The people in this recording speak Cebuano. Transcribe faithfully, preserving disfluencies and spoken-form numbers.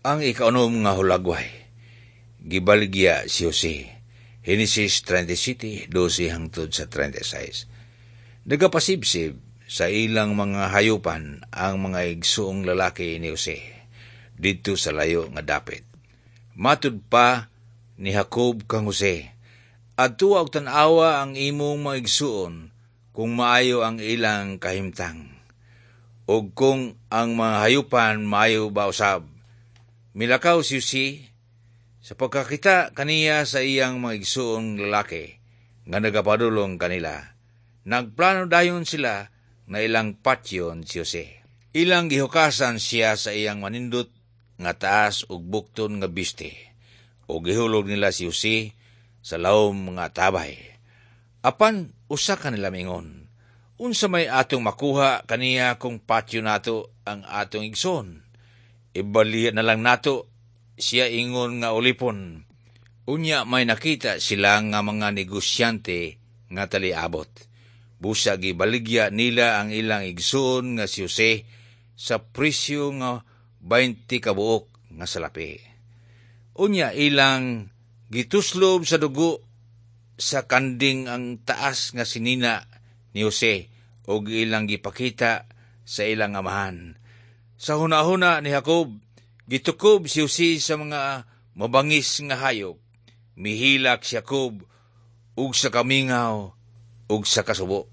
Ang ikaunom nga hulagway, gibaligya si Jose. Henesis trenta y siyete, dose hangtod sa trenta y sais. Nagapasibsib sa ilang mga hayupan ang mga igsuong lalaki ni Jose didto sa layo nga dapit. Matud pa ni Jacob kang Jose, "Adtoa og tan-awa ang imong mga igsuon kung maayo ang ilang kahimtang ug kung ang mga hayupan maayo ba usab." Milakaw si Jose. Sa pagkakita kaniya sa iyang mga igsuong lalaki nga nagapadulong kanila, nagplano dayon sila na ilang patyon si Jose. Ilang gihukasan siya sa iyang manindot nga taas ug bukton nga biste, ug gihulog nila si Jose sa lawom nga tabay. Apan usa kanila mingon, "Unsa may atong makuha kaniya kung patyon nato ang atong igsoon? Ibaligya na lang nato siya ingon nga ulipon." Unya may nakita sila nga mga negosyante nga taliabot. Busa gibaligya nila ang ilang igsoon nga si Jose sa presyo nga beinte ka buok nga salapi. Unya ilang gituslob sa dugo sa kanding ang taas nga sinina ni Jose ug ilang gipakita sa ilang amahan. Sa hunahuna ni Jacob, gitukob si Jose sa mga mabangis nga hayop. Mihilak si Jacob ug sa kamingaw ug sa kasubo.